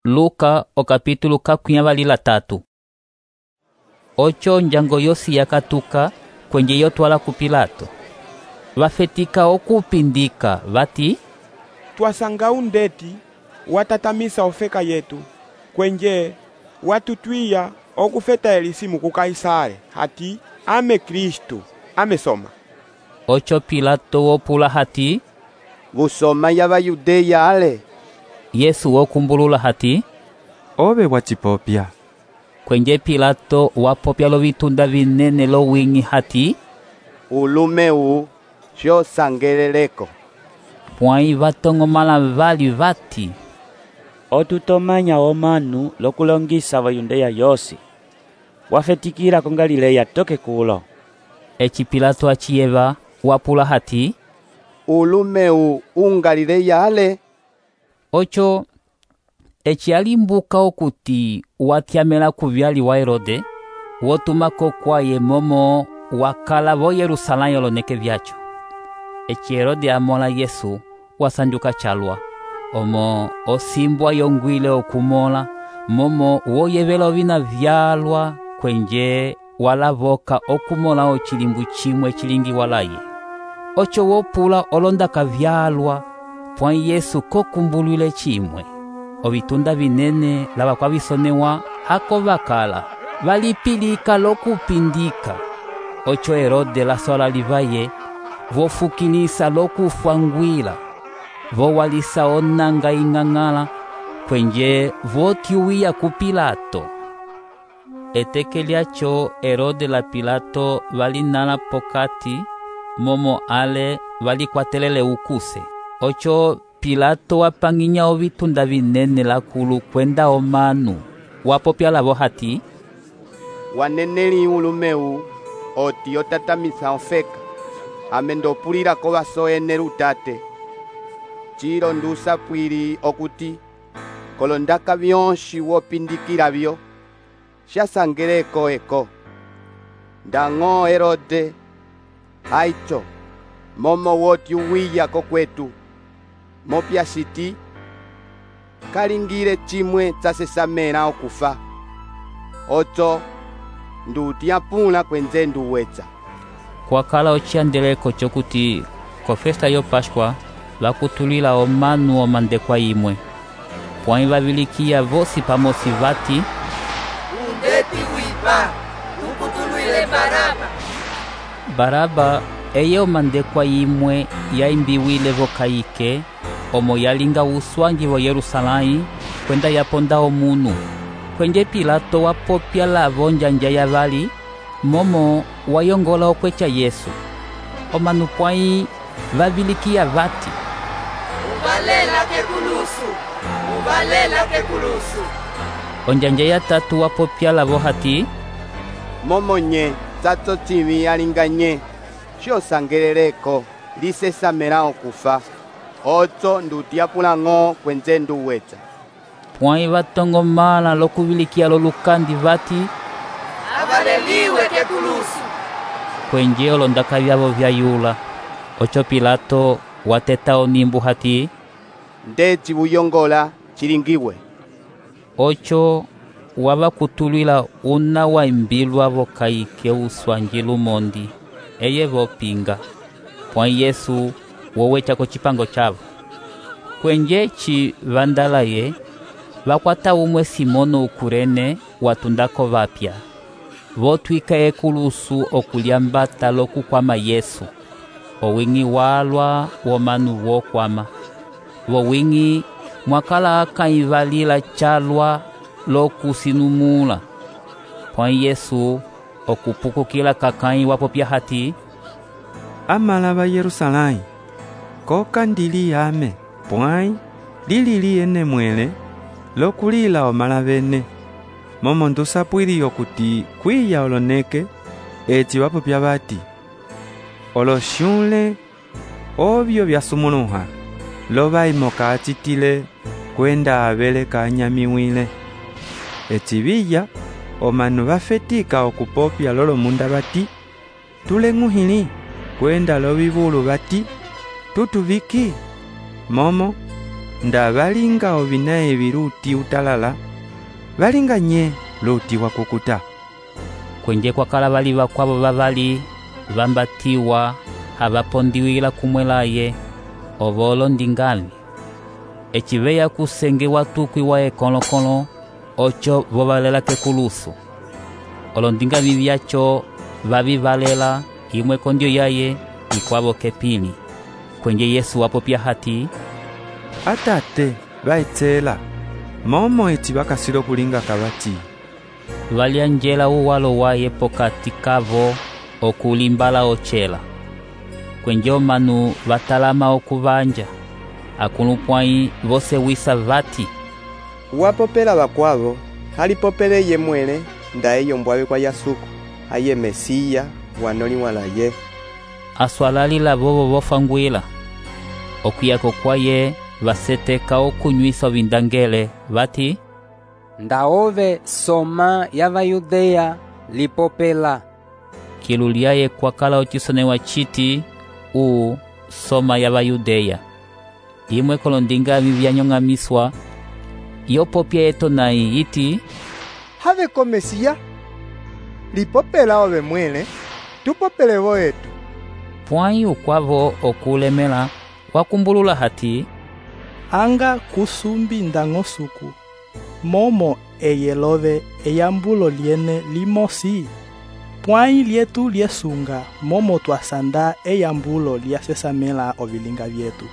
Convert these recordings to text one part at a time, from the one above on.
Luka okapítulo ka23. Ocho njango yosi yakatuka kwenye yotwala ku Pilato. Vafetika okupindika vati, twasanga undeti watatamisa ofeka yetu kwenye watutwiya okufeta elisimu ku Kaisare hati ame Kristu amesoma. Ocho Pilato wopula hati, Busoma ya Bayudeya ale. Yesu wokumbulula hati, obe wachipopya. Kwenye Pilato wapopya lo vitunda vinene lo wingi hati, Ulumeu sho sangeleleko. pwai vatongomala vali vati, otutomanya omanu lokulongisa Bayudeya yosi. Wafetikira ko Galileya toke kulo. eci Pilato achiyeva wapula hati, Ulumeu Galileya ale. Ocho eci alimbuka okuti watyamela kuvyali wa Herode, wotumako kwaye momo wakala vo Yerusalemu oloneke vyacho. Eci Herode amola Yesu wasanduka chalwa, omo osimbwa yongwile okumola, momo woyevela ovina vyalwa kwenje walavoka okumola ochilimbu chimwe chilingi walaye. Ocho wopula olondaka vyalwa, pwai Yesu kokumbulwile chimwe. Ovitunda vinene lava kwa visonewa hako vakala valipilika lokupindika. Ocho Herode lasola livaye vofukilisa lokufangwila, vowalisa onanga ing'ang'ala kwenje votyuwiya ku Pilato. Eteke lyacho Herode la Pilato valinala pokati momo ale valikwatelele ukuse. Ocho Pilato wapanginya ovitunda vinene lakulu kwenda omanu wapopya lavo hati, Waneneli ulumeu oti otatamisa ofeka amendopulira ko basoene lutate. Chilo ndusa pwili okuti kolondaka byonshi wopindikira byo shasangeleko eko. Ndango Herode aicho momo woti uwiya ko kwetu mopya siti kalingire chimwe tsasesamela okufa. Ocho ndutiapula kwenze nduwetsa. kwakala ociandeleko chokuti ko festa yo Pashkwa vakutulila omanu omandekwa imwe. Pwai vavilikiya vosi pamosi vati, undeti wipa ukutulwile Baraba. Baraba eye omandekwa imwe yaimbiwile vokaike omo yalinga uswangi vo Yerusalemu kwenda yaponda omunu. Kwenje Pilato wapopya lavo njanja ya vali momo wayongola okwecha Yesu. Omanu pwai vavilikiya vati, uvalela kekulusu. onjanja ya tatu wapopya lavo hati, Momo nye tsatso chimi alinganye sho sangeleleko lisesamela okufa. Ocho ndutiapula ng'o kwenze nduwetsa. pwai vatongomala lokuvilikiya lolukandi vati, Avaleliwe kekulusu. kwenje olondaka vyavo vyayula. Ocho Pilato wateta onimbu hati, Ndeci buyongola chilingiwe. Ocho wavakutulwila una waimbilwa vokaike uswangi lumondi eye vopinga. Pwai Yesu wowecha ko chipango chavo. Kwenje eci vandalaye vakwata umwe Simono ukurene watundako vapya, votwika ekulusu okulyambata lokukwama Yesu. Owingi walwa womanu wokwama, vowingi mwakala akaivalila chalwa lokusinumula. Pwai Yesu okupukukila kakai wapopya hati, Amala ba Yerusalemu koka ndili ame pwai lili ene mwele lokulila omala bene momo ndusapwili okuti kwiya oloneke eci wapopya bati oloshule obyo byasumuluha lobaimoka achitile kwenda abele kanyamiwile. Eci biya omanu bafetika okupopya lolomunda bati tuleng'uhili kwenda lobibulu bati tutubiki momo nda valinga ovina evi luti utalala, valinga nye luti wakukuta. Kwenje kwakala vali vakwavo vavali vambatiwa havapondiwila kumwelaye ovo olondingali. Eciveya kusenge watukwi wa ekolo-kolo ocho vovalela kekulusu. Olondingali vyacho vavivalela imwe kondio yaye ikwavo kepili. Kwenje Yesu wapopya hati, Atate vaitsela, momo eci vakasilo kulinga kavati. Valianjela uwalo waye pokati kavo okulimbala ochela. Kwenje omanu vatalama okuvanja. Akulupwai vose wisa vati, Wapopela vakwavo, halipopele ye mwele, nda eyo mbwawe kwa Yasuku, aye Mesiya, wanoli walaye. aswalalila vovo vofangwila. Okuyako kwaye vaseteka okunywisa ovindangele vati, Ndaove soma ya Vayudeya lipopela. kiluliaye kwakala ocisonewa citi soma ya Vayudeya. Imwe kolondingali vyanyong'amiswa yopopya etonai yiti, Have ko Mesiya, lipopela ove mwele, tupopele vo etu. pwai ukwavo okulemela wakumbulula hati, Anga kusumbi ndang'osuku, momo eyelove eyambulo liene limosi. Pwai lietu liesunga, momo twasanda eyambulo liasesamela ovilinga vyetu.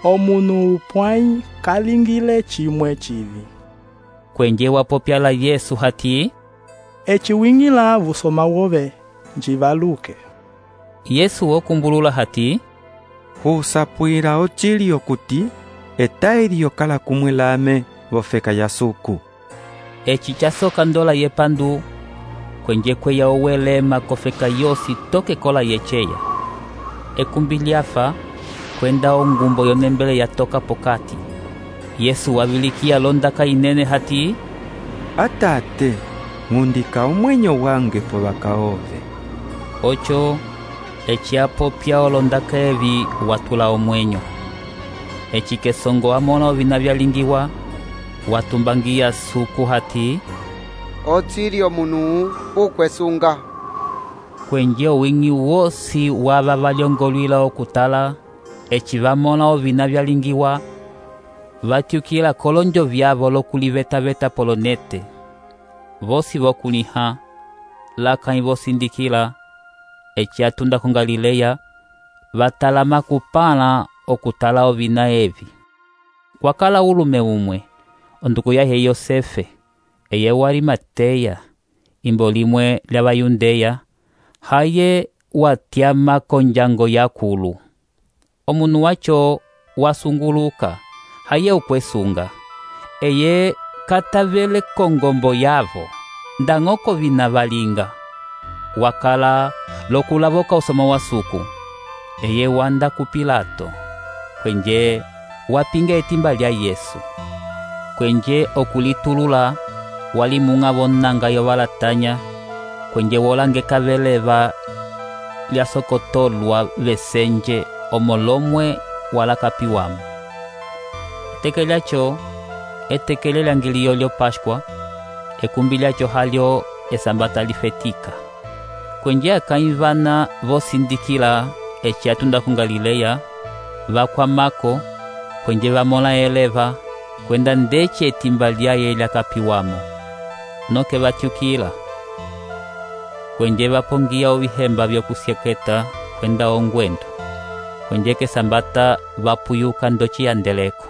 Omunu pwai kalingile chimwe chivi. kwenje wapopyala Yesu hati, Eciwingila vusoma wove, njivaluke. Yesu wokumbulula hati, Husapwila ochili okuti, etaili yokala kumwilame vofeka Yasuku. eci casoka ndola yepandu, kwenje kweya owelema kofeka yosi toke kola yecheya. Ekumbi lyafa, kwenda ongumbo yonembele yatoka pokati. Yesu wavilikia londaka inene hati, Atate, ngundika omwenyo wange po vakaove. ocho eciapopya olondaka evi watula omwenyo. Eci kesongo amona ovina vyalingiwa, watumbangia suku hati, Otsili omunu ukwesunga. kwenje owingi wosi wava valyongolwila okutala, eci vamona ovina vyalingiwa, vatyukila kolonjo vyavo lokuliveta-veta polonete. Vosi vokuliha, lakani vosindikila, eci atunda ku Galileya, vatalama kupala okutala ovina evi. Kwakala ulume umwe, onduku yahe Yosefe, eye wa Arimateya, imbo limwe lya Vayudeya, haye watyama konjango yakulu. Omunu wacho wasunguluka, haye ukwesunga. Eye katavele kongombo yavo, ndang'oko vina valinga. Wakala lokulavoka usoma wasuku. Eye wanda ku Pilato, kwenje wapinga etimba lya Yesu. Kwenje okulitulula, walimunga vonanga yovalatanya, kwenje wolange kaveleva lyasokotolwa vesenje omolomwe wala kapiwamo. Eteke lyacho, etekele lyangiliyo lyo Pashkwa, ekumbi lyacho halyo esambata lifetika. Kwenje akaivana vosindikila eci atunda ku Galileya, vakwamako, kwenje vamola eleva, kwenda ndeci etimba lyaye lyakapiwamo. Noke vatyukila, kwenje vapongia ovihemba vyokusyeketa kwenda ongwendo. Kwenje kesambata vapuyuka ndoci yandeleko.